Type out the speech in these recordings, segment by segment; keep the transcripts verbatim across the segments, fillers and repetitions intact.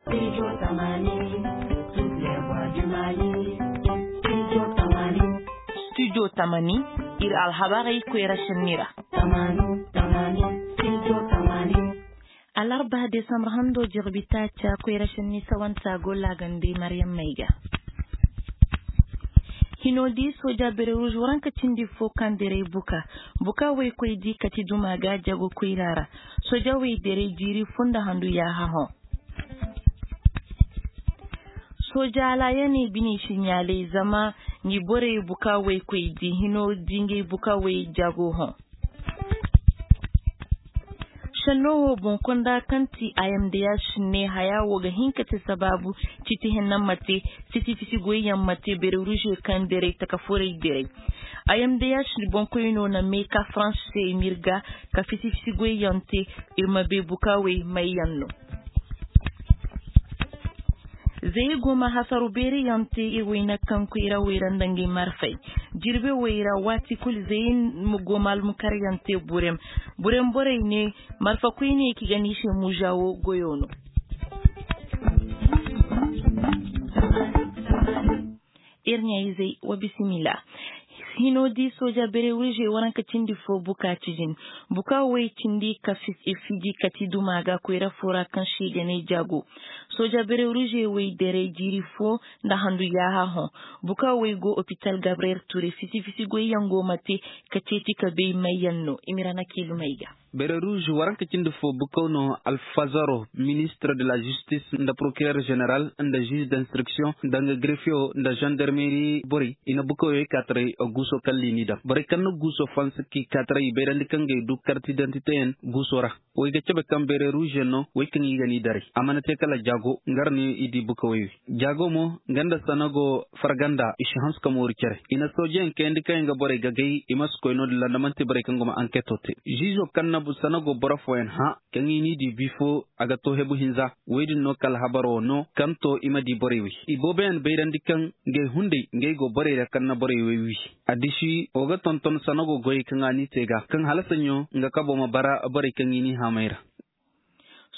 Studio tamani, ir alhabarey koyra šenni ra. Alarba desambur hando jirbi taaca koyra šenni sawanta go laagandi maryam mayga. Hino di soja bereruž waranka cindi fo kaŋ derey buka buka woy koy di kati duma ga jago koyra ra. Soja woy derey jiiri fo nda handu yaaha hõ. Soja alaayaney bine si ɲaalay zama ngi borey buka woy koy di hino di ngey buka woy jago hõ. Šenno wo boŋ konda kaŋ ti a yamdaya si ne haya wo ga hin ka te sabaabu. Citi henna ma te fisi fisi goyyaŋ ma te bereruže kaŋ derey taka forey derey. A yamdaya si boŋkoyno na me ka faranse se i ma ir ga ka fisi fisi goyyaŋ te. Ir ma bay bukaawey mayyaŋ no. Zey go ma hasaru beeriyaŋ te ir wayna kaŋ koyra wayra nda ngey marfey. Jirbe wayra waati kul zey go ma almukaryaŋ te burem. Burem borey ne marfa koyne ki ga ni se muza wo goyo no. Ir ɲaayizey wa bisimila. Hino di sooja bereruže waranka cindi fo buka cijin. Buka woy cindi ka fiji kati duma ga koyra fo ra kaŋ se i ga ne jaago. Sooja bereruže woy derey jiiri fo nda handu yaaha hõ. Buka woy go opital gabriyel ture fisi fisi goyyaŋ go ma te ka ceeci ka bay mayyaŋ no i ma ir a na kiilumey ga. Bereruž waranka cindi fo bukaw no alfazaro ministre de la justice nda prokirer general nda žuž d'instruction nda nga grefiyo nda žandarmeri borey i na bukawyey kaataray. Guuso kaŋ liini daŋ borey kaŋ na guuso fansa k'i kaataray i bayrandi kaŋ ga i du kartidantiteyaŋ guuso ra. Way ga cabe kaŋ bereružyaŋ no way kaŋ i ga n'i daray a mana te kala jaago. Nga ra no i di bukawey wi jaago mo nga nda sanago farganda i si hanse ka mooru cere i na soojeyaŋ kayandi kaŋ yaŋ ga borey gagay i ma si koy no-din ra nda man'ti borey kaŋ go ma anketo te. Žiizo kaŋ na sanago boro fooyaŋ hã kaŋ i n'i di bifo a ga to hebu hinza. Woy din no kala habaro no kaŋ to i ma di borey wi. Ibooboyaŋ bayrandi kaŋ ngey hunday ngey go borey ra kaŋ na borey wey wi. Addiši wo ga tonton sanago goyey kaŋ a n'i te ga kaŋ hala saɲɲo nga kabo ma bara borey kaŋ i n'i haamay ra.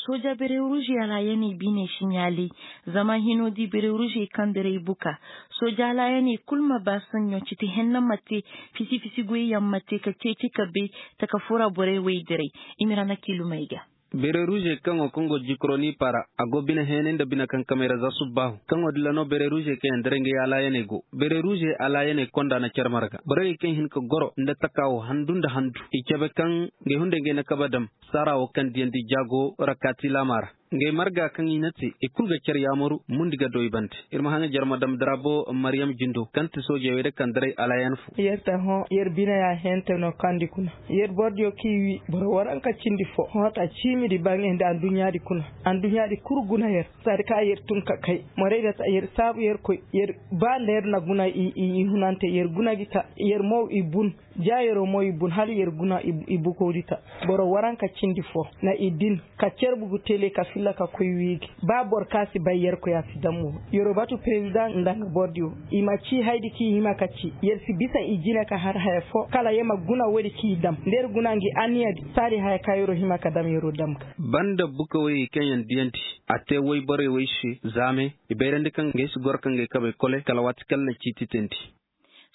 Sooja bereruže alaayaney biine si ɲaalay. Zama hino di bereružey kaŋ derey buka sooja alaayaney kul ma ba saɲɲo citi henna ma te. Fisi fisi goyyaŋ ma te ka ceeci ka bay taka fura borey wey derey. I ma ir a na kiilumey ga. Bereruže kaŋo kaŋ go jikroni para a go bine heenay nda bine kankamey ra za subbaahu kaŋo dilla no bereruže kaŋ yaŋ derey ngey alaayaney go. Bereruže alaayaney konda na care marga borey kaŋ hin ka goro nda taka wo handu nda handu i cabe kaŋ ngey hunday ngey na kabe dam. Saara wo kaŋ diyandi jaago ra kaati laama ra. Ngey marga kaŋ i na te i kul ga care yaamaru mundi ga do i bande. Ir ma haŋa jere ma dam darabo maryam jindo kaŋ ti soojey wey da kaŋ daray alaayan fo. Yer te hõ yer bine ya hente no kandi kuna. Yer boro diyo kaŋ i wi boro waranka cindi fo hõ ta ciimidi ba ngey nda adduɲɲaadi kuna. Adduɲɲaadi kul guna yer. Saadi ka yer tun ka kay morey da ta yer saabu yer koy yer ba nda yer na guna i hunante yer guna gi ta yer mo i bun. Jaayeroo mo i bun hala yer guna i bukowdi ta. Boro waranka cindi fo na i din ka cer bugu tele ka filla ka koy wiigi. Ba boro ka si bay yerkoy a si dam wo. Yeroo batu perezidaŋ nda nga borodiyo i ma cii haydi kaŋ i hima ka cii yer si bisa i jine ka har haya fo kala yer ma guna woodi kaŋ i dam nda yer guna ngi anniyadi. Saadi haya ka yeroo hima ka dam yeroo dam ga. Banda buka woyey kaŋ yaŋ diyandi a te woy borey woy se zaame. I bayrandi kaŋ ngey si goro ka ngey kabey kole kala waati kaŋ na ciiti teendi.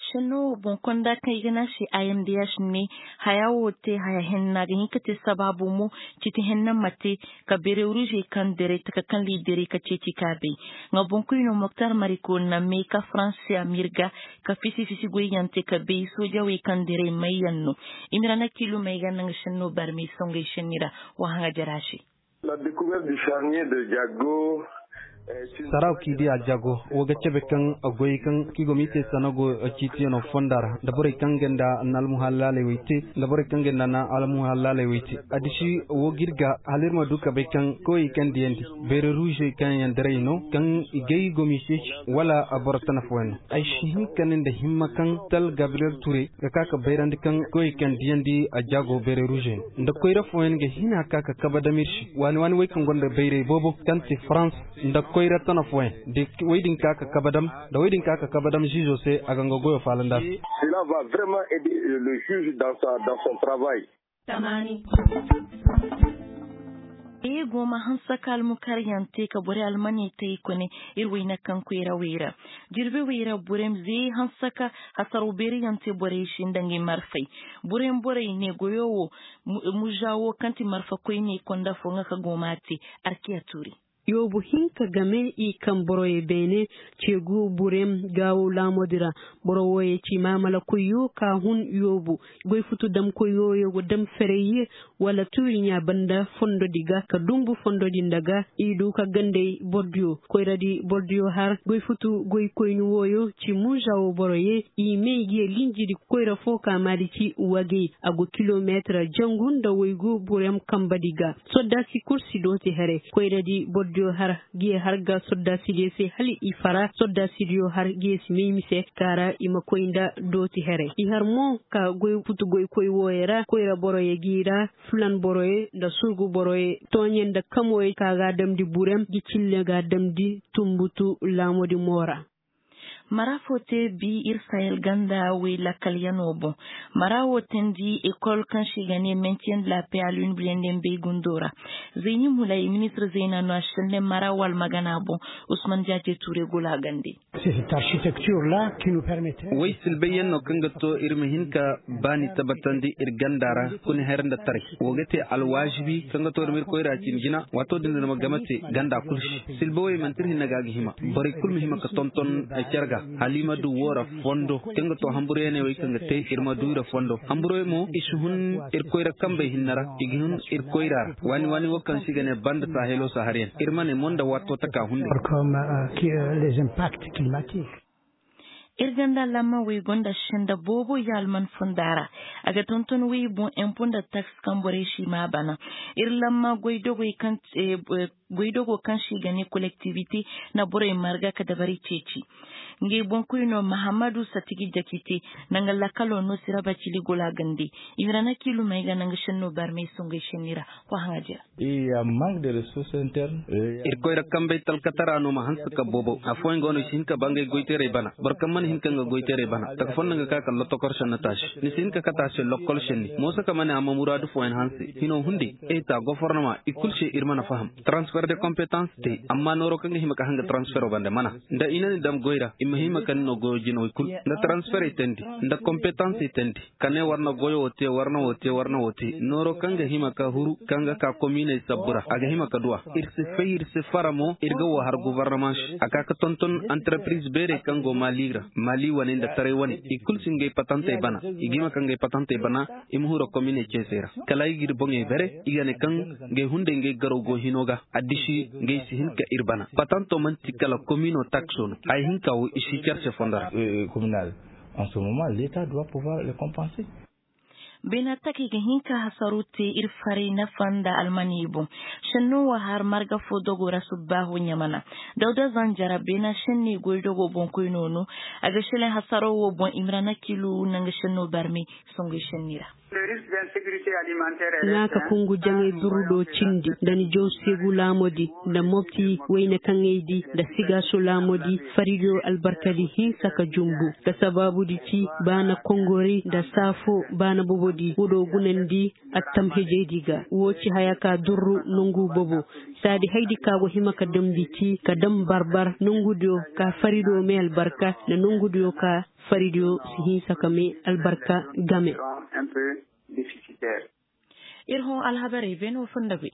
Šenno wo boŋ konda kaŋ i ga ne a se a yamdiyaš ne. Haya wo te haya henna ga hin ka te sabaabu mo. Citi henna ma te ka bereružey kaŋ derey taka kaŋ liiderey ka ceeci ka bay. Nga boŋkoyno moktar mariko na me ka faranse a ma ir ga ka fisi fisi goyyaŋ te ka bay soojawey kaŋ derey mayyaŋ no. I ma ir a na kiilumey ga nda nga šenno barmey songey šenni ra. Wa haŋa jara se. Saraw k'i di a jago wo ga cabe kaŋ goyey kaŋ k'i go m'i te sanago ciitiyano fonda ra nda borey kaŋ ga nda na almuhallaaley wey te nda borey kaŋ ga nda na almuhallaaley wey te. Addiši wo g'ir ga hala ir ma du ka bay kaŋ koyey kaŋ diyandi beere ruuzey kaŋ yaŋ daray no kaŋ i gay go m'i ceeci wala boro tana fooyaŋ no. Ay si hin ka ne nda himma kaŋ tal gabriyel ture ga ka ka bayrandi kaŋ koyey kaŋ diyandi a jaago beere ruuzey no nda koyra fooyaŋ ga hina ka ka kabe dam ir se waani waani wey kaŋ gonda bayray boobo kaŋ ti farans nda koyra tana fooyaŋ da wey din ka ka kabe dam da wey din ka ka kabe dam ziizo se a ga nga goyo faalandi a se. Sila va vraiment ede le juge dans son travail. Ee goma hanse ka almukaryaŋ te ka borey almaney te i kone. Ir wayna kaŋ koyra wey ra jirbi wey ra burem zee hanse ka hasaro beeriyaŋ te borey se nda ngey marfey. Burem borey ne goyo wo muža wo kaŋ ti marfa koyne konda fo nga ka goma te. Arkiya tuuri. Yoobu hinka game i kaŋ boroyey beene ceegu burem gaawo laamodi ra. Boro wooyey ci maamala koyyo ka hun yoobu goy futu dam koyyo yoogo dam ferey ye wala tuuri ɲaa banda fondodi ga ka dumbu fondodi nda ga. I du ka gandey bordiyo koyradi bordiyo har goy futu goy koyni wooyo ci muža wo boro ye i may ga ye linjidi koyra fo ka maadi ci wagey a go kilomeetira jangu nda waygu burem kambadi ga. Soddaasi kul si dooti here koyradi bordiyo har ga ye har ga soddaasidiyo se hala i fara soddaasidiyo har ga ye si may mise kaara i ma koy nda dooti here i har mo ka goy futu goykoy wooyo ra koyra boroyo g'i ra. Fulan boroyo nda surgu boroyo tooɲe nda kamoyo ka ga a damndi burem gi cille ga a damndi tumbutu laamodi mo ra. Mara fo te bi ir sahel ganda wey lakkalyanoo boŋ. Mara wo teendi ekol kaŋ se i ga ne mentien de la pais a lun biyandi mbey gundoo ra. Zeyni mulay ministir zeyna no a senne mara wo almagana boŋ. Usman jaaje tuure gulaagandi. Wey silbayyaŋ no kaŋ ga to ir ma hin ka baani tabbatandi ir ganda ra. Kuni her nda taray wo ga te alwaazibi kaŋ ga to ir ma ir koyra cin jina waato din ir ma game te ganda kul se. Silba wey manti ir hinne ga a ga hima borey kul ma hima ka tonton ay care ga. Hala i ma du woo ra fondo kaŋ ga to hamburyaney wey kaŋ ga te ir ma du i ra fondo hamburey mo i si hun ir koyra kambey hinne ra. I ga hun ir koyra ra waani waani wo kaŋ se i ga ne banda sahelo saharyan ir ma ne mo nda waato taka hunday. Ir ganda lamma wey gonda senda boobo ya alman fonda ra. A ga tonton wey boŋ empo nda taks kaŋ borey si ma a bana. Ir lamma goy dogoy kaŋ si i ga ne kolektivite na borey marga ka dabari ceeci. Ngey boŋkoy no mahammadu satigi jakite nda nga lakalo no siraba cili gulaagandi. I ma ra na kiilumey ga nda nga senno barmey songey senni ra. Wa haŋa jira. Ir koyra kambey talkatara no ma hanse ka boobo afooyaŋ go no i si hin ka ba ngey goyteerey bana boro kaŋ mana hin ka nga goyteerey bana taka fo nda nga ka kala lotokor senni taasi. Ni si hin ka kate a se lokkol senni mooso ka ma ne a ma muraadu fooyaŋ hanse. Hinoo hunday eta gofornama i kul se ir mana faham. Transfer de kompetans te amma nooro kaŋ ga hima ka hanga transfero bande mana nda i na ni dam goy ra i ma hima ka ni no goyo jinawey kul nda transferey teendi nda kompetansey teendi. Ka ne war na goyo wo te war na wo te war na wo te nooro kaŋ ga hima ka huru kaŋ ga ka kominey sabbu ra a ga hima ka du a. Ir si fay ir si fara mo ir ga wo har gofornama se a ka ka tonton antarpiriz beerey kaŋ go maali ra maali wane nda taray wane i kul si ngey patantey bana. I ga hima ka ngey patantey bana i ma huru kominey ceesey ra kala ay ga ir boŋey bare i ga ne kaŋ ngey hunday ngey garaw go hino ga. Addisi ngey si hin ka ir bana patanto man'ti kala komino takso no. Haya hinka wo i si car se fondo ra. An se moment leta doit pouvoir le compenser. Beena takey ga hin ka hasaru te ir faray nafa nda almaney boŋ. Senno wo har marga fo dogo ra subbaahu ɲamana. Dawda zanjara beena senney goy dogo boŋkoy noonu. A ga selaŋ hasaro wo boŋ i ma ra na kilu nanga senno barmey. Songoy senni ra. Ŋaa ka kungu jaŋay durru do cindi nda ni jaw seegu laamodi nda mopti wayne kaŋey di nda sigaaso laamodi faridiyo albarkadi hinsa ka jumbu. Nda sabaabudi ci baana kongori nda saafo baana bobodi wodo gunandi. Attam hejeydi ga woo ci haya ka durru nongu bobo. Saadi haydi ka go hima ka damndi ci ka dam barbar nongudiyo ka faridiyo may albarka nda nongudiyo ka faridiyo si hinsa ka may albarka game. Ir hõ alhabarey beenoo foo nda goy.